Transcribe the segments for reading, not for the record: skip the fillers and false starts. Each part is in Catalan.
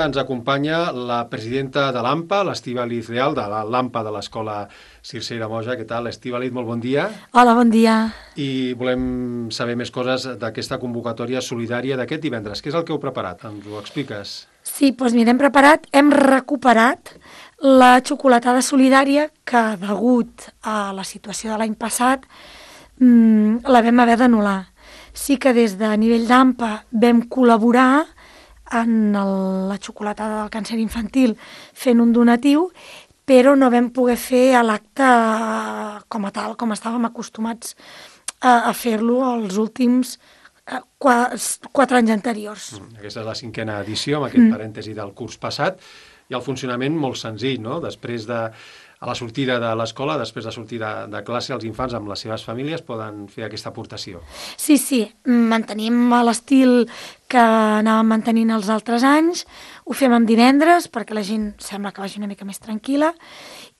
Ens acompanya la presidenta de l'AMPA, l'Estíbaliz Leal, de l'AMPA de l'Escola Circea Moja. Què tal, Estíbaliz? Molt bon dia. Hola, bon dia. I volem saber més coses d'aquesta convocatòria solidària d'aquest divendres. Què és el que heu preparat? Ens ho expliques? Sí, doncs mira, hem recuperat la xocolatada solidària que, degut a la situació de l'any passat, la vam haver d'anul·lar. Sí que des de nivell d'AMPA vam col·laborar en la xocolatada del càncer infantil fent un donatiu, però no vam poder fer l'acte com a tal, com estàvem acostumats a fer-lo els últims 4 anys anteriors. Aquesta és la 5a edició, amb aquest parèntesi del curs passat, i el funcionament molt senzill, no? Després a la sortida de l'escola, després de sortir de classe, els infants amb les seves famílies poden fer aquesta aportació. Sí, mantenim l'estil que anàvem mantenint els altres anys, ho fem en divendres perquè la gent sembla que vagi una mica més tranquil·la,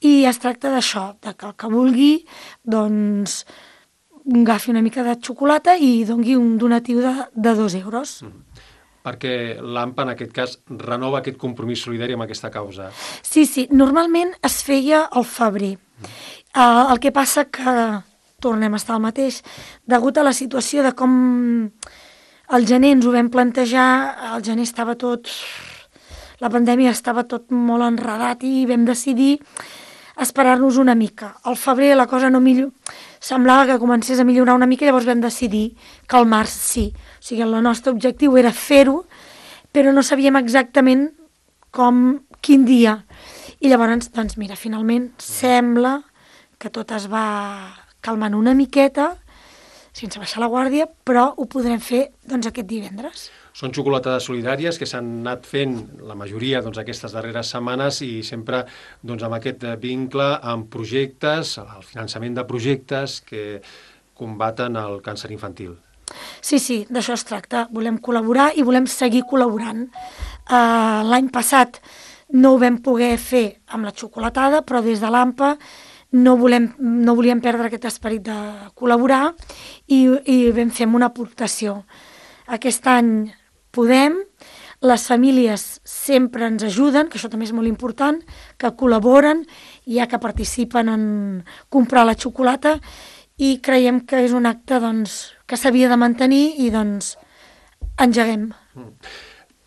i es tracta d'això, de que el que vulgui, doncs, agafi una mica de xocolata i doni un donatiu de 2 euros. Perquè l'AMPA, en aquest cas, renova aquest compromís solidari amb aquesta causa. Sí, normalment es feia al febrer. El que passa que tornem a estar al mateix. Degut a la situació de com al gener ens ho vam plantejar, al gener estava tot... La pandèmia estava tot molt enredat i vam decidir esperar-nos una mica. Al febrer la cosa no semblava que comencés a millorar una mica, llavors vam decidir que al març sí. O sigui, el nostre objectiu era fer-ho, però no sabíem exactament quin dia. I llavors, doncs mira, finalment sembla que tot es va calmant una miqueta, sense baixar la guàrdia, però ho podrem fer doncs, aquest divendres. Són xocolatades solidàries que s'han anat fent, la majoria, doncs, aquestes darreres setmanes, i sempre doncs, amb aquest vincle amb projectes, el finançament de projectes que combaten el càncer infantil. Sí, d'això es tracta. Volem col·laborar i volem seguir col·laborant. L'any passat no ho vam poder fer amb la xocolatada, però des de l'AMPA no volíem perdre aquest esperit de col·laborar i vam fer una aportació. Aquest any podem, les famílies sempre ens ajuden, que això també és molt important, que col·laboren, ja que participen en comprar la xocolata, i creiem que és un acte doncs, que s'havia de mantenir i doncs engeguem.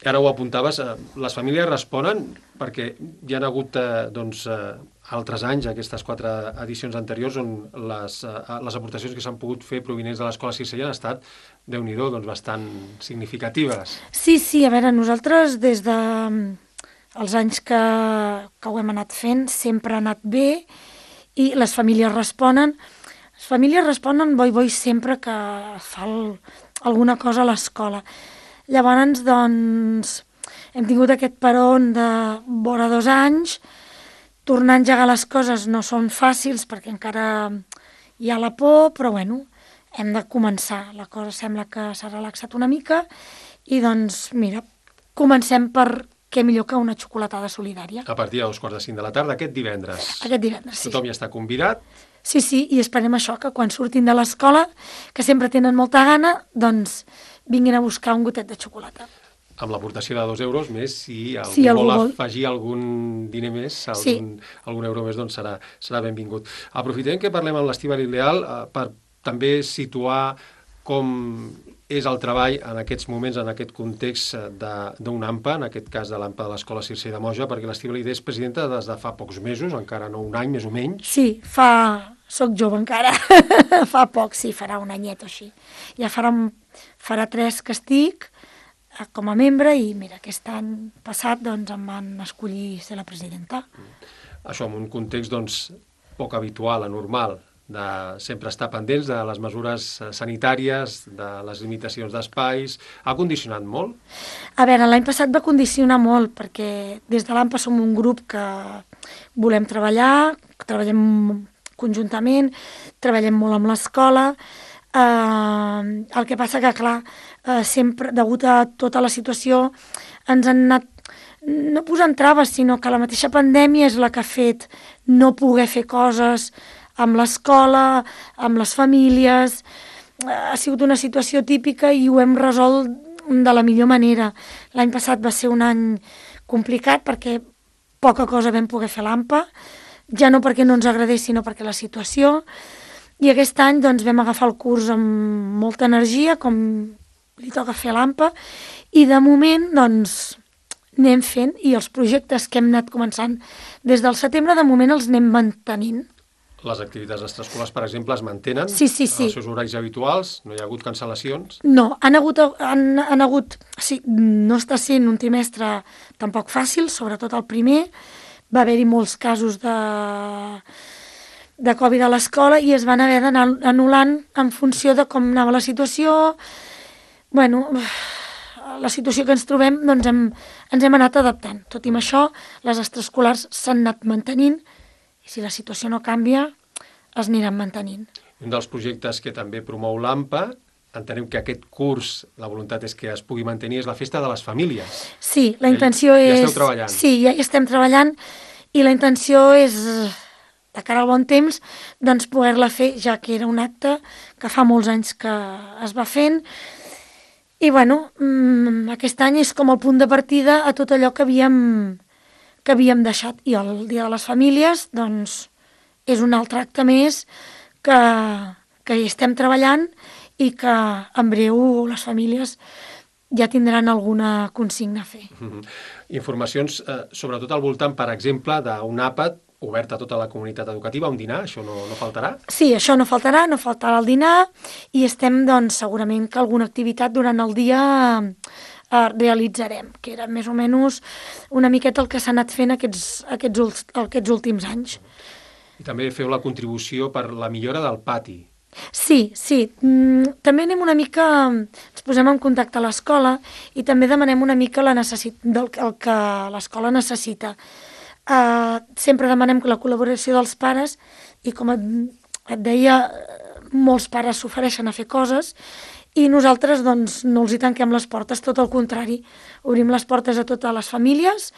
Ara ho apuntaves, les famílies responen perquè hi ha hagut altres anys, aquestes 4 edicions anteriors, on les aportacions que s'han pogut fer provinents de l'Escola Circea han estat, Déu-n'hi-do, doncs bastant significatives. Sí, a veure, nosaltres des dels anys que ho hem anat fent sempre ha anat bé i les famílies responen. Les famílies responen boi sempre que fa alguna cosa a l'escola. Llavors, doncs, hem tingut aquest peron de vora 2 anys. Tornar a engegar les coses no són fàcils perquè encara hi ha la por, però bueno, hem de començar. La cosa sembla que s'ha relaxat una mica i doncs, mira, comencem per què millor que una xocolatada solidària. A partir de 2:45 de la tarda, aquest divendres. Aquest divendres, sí. Tothom hi està convidat. Sí, i esperem això, que quan surtin de l'escola, que sempre tenen molta gana, doncs vinguin a buscar un gotet de xocolata. Amb l'aportació de 2 euros més, si algú vol afegir algun diner més, algun euro més, doncs serà benvingut. Aprofitem que parlem amb l'Estíbaliz Leal per també situar com és el treball en aquests moments, en aquest context d'un AMPA, en aquest cas de l'AMPA de l'Escola Circea Moja, perquè l'Estíbaliz és presidenta des de fa pocs mesos, encara no un any, més o menys. Sí, soc jove encara, fa poc, sí, farà un anyet o així. Ja farà 3 que estic com a membre i mira, aquest any passat doncs em van escollir ser la presidenta. Això en un context doncs poc habitual, anormal, de sempre estar pendents de les mesures sanitàries, de les limitacions d'espais. Ha condicionat molt? A veure, l'any passat va condicionar molt perquè des de l'AMPA som un grup que volem treballar, treballem conjuntament, treballem molt amb l'escola. El que passa que, clar, sempre, degut a tota la situació, ens han anat no posant traves, sinó que la mateixa pandèmia és la que ha fet no poder fer coses amb l'escola, amb les famílies. Ha sigut una situació típica i ho hem resolt de la millor manera. L'any passat va ser un any complicat perquè poca cosa vam poder fer a l'AMPA, ja no perquè no ens agradés, sinó perquè la situació. I aquest any doncs, vam agafar el curs amb molta energia, com li toca fer a l'AMPA, i de moment doncs, anem fent, i els projectes que hem anat començant des del setembre, de moment els anem mantenint. Les activitats extraescolars, per exemple, es mantenen sí. en els seus horaris habituals? No hi ha hagut cancel·lacions? No, han hagut sí, no està sent un trimestre tampoc fàcil, sobretot el primer. Va haver-hi molts casos de Covid a l'escola i es van haver d'anar anul·lant en funció de com anava la situació. Bueno, la situació que ens trobem, doncs ens hem anat adaptant. Tot i amb això, les extraescolars s'han anat mantenint i si la situació no canvia, es aniran mantenint. Un dels projectes que també promou l'AMPA, entenem que aquest curs, la voluntat és que es pugui mantenir, és la festa de les famílies. Sí, la intenció és... Ja esteu treballant. Sí, ja hi estem treballant i la intenció és, de cara al bon temps, doncs poder-la fer, ja que era un acte que fa molts anys que es va fent. I bueno, aquest any és com el punt de partida a tot allò que havíem deixat. I el Dia de les Famílies, doncs, és un altre acte més que hi estem treballant i que en breu les famílies ja tindran alguna consigna a fer. Informacions, sobretot al voltant, per exemple, d'un àpat obert a tota la comunitat educativa, un dinar, això no faltarà? Sí, això no faltarà el dinar i estem, doncs, segurament que alguna activitat durant el dia realitzarem, que era més o menys una miqueta el que s'ha anat fent aquests últims anys. I també feu la contribució per la millora del pati. Sí. També anem una mica, ens posem en contacte a l'escola i també demanem una mica el que l'escola necessita. Sempre demanem la col·laboració dels pares i com et deia, molts pares s'ofereixen a fer coses i nosaltres doncs, no els hi tanquem les portes, tot el contrari. Obrim les portes a totes les famílies,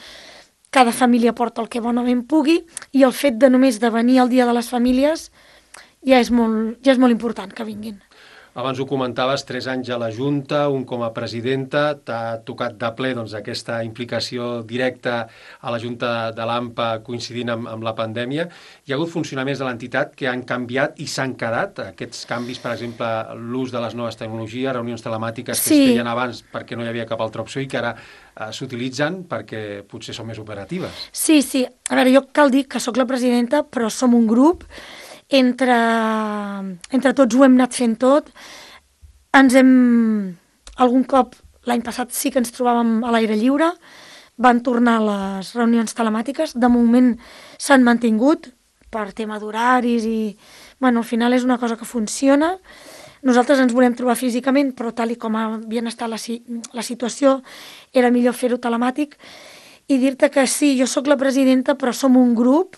cada família porta el que bonament pugui i el fet de només de venir al Dia de les Famílies ja és molt important que vinguin. Abans ho comentaves, 3 anys a la Junta, un com a presidenta, t'ha tocat de ple doncs, aquesta implicació directa a la Junta de l'AMPA coincidint amb la pandèmia. Hi ha hagut funcionaments de l'entitat que han canviat i s'han quedat. Aquests canvis, per exemple, l'ús de les noves tecnologies, reunions telemàtiques que es feien abans perquè no hi havia cap altra opció i que ara s'utilitzen perquè potser són més operatives. Sí. A veure, jo cal dir que sóc la presidenta, però som un grup. Entre tots ho hem anat fent tot. Algun cop, l'any passat sí que ens trobàvem a l'aire lliure, van tornar les reunions telemàtiques, de moment s'han mantingut per tema d'horaris i, bueno, al final és una cosa que funciona. Nosaltres ens volem trobar físicament, però tal i com havia estat la situació, era millor fer-ho telemàtic. I dir-te que sí, jo sóc la presidenta, però som un grup,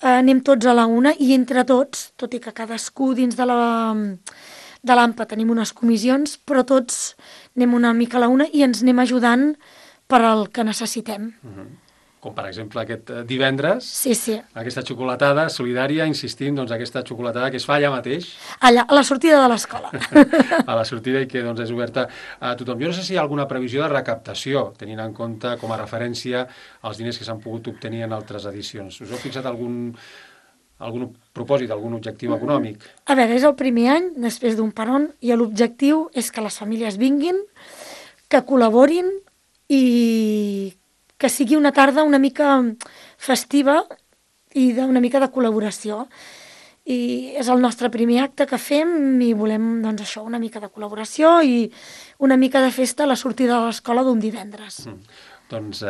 anem tots a la una i entre tots, tot i que cadascú dins de l'AMPA tenim unes comissions, però tots anem una mica a la una i ens anem ajudant per al que necessitem. Com per exemple aquest divendres, aquesta xocolatada solidària, insistim, doncs aquesta xocolatada que es fa allà mateix. Allà, a la sortida de l'escola. A la sortida i que doncs, és oberta a tothom. Jo no sé si hi ha alguna previsió de recaptació, tenint en compte com a referència els diners que s'han pogut obtenir en altres edicions. Us heu fixat algun propòsit, algun objectiu econòmic? A veure, és el primer any, després d'un peron, i l'objectiu és que les famílies vinguin, que col·laborin i que sigui una tarda una mica festiva i una mica de col·laboració. I és el nostre primer acte que fem i volem, doncs això, una mica de col·laboració i una mica de festa a la sortida de l'escola d'un divendres. Doncs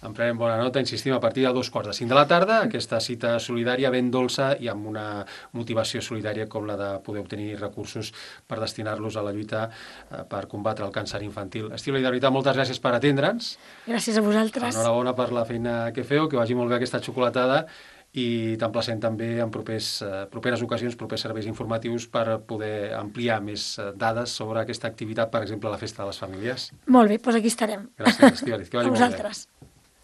en prenem bona nota, insistim, a partir de 2:45 de la tarda, aquesta cita solidària ben dolça i amb una motivació solidària com la de poder obtenir recursos per destinar-los a la lluita per combatre el càncer infantil. Estiola, i de veritat, moltes gràcies per atendre'ns. Gràcies a vosaltres. Enhorabona per la feina que feu, que vagi molt bé aquesta xocolatada i t'emplacem també en properes ocasions, propers serveis informatius per poder ampliar més dades sobre aquesta activitat, per exemple, la Festa de les Famílies. Molt bé, doncs aquí estarem. Gràcies, Estiola, que vagi molt bé. A vosaltres.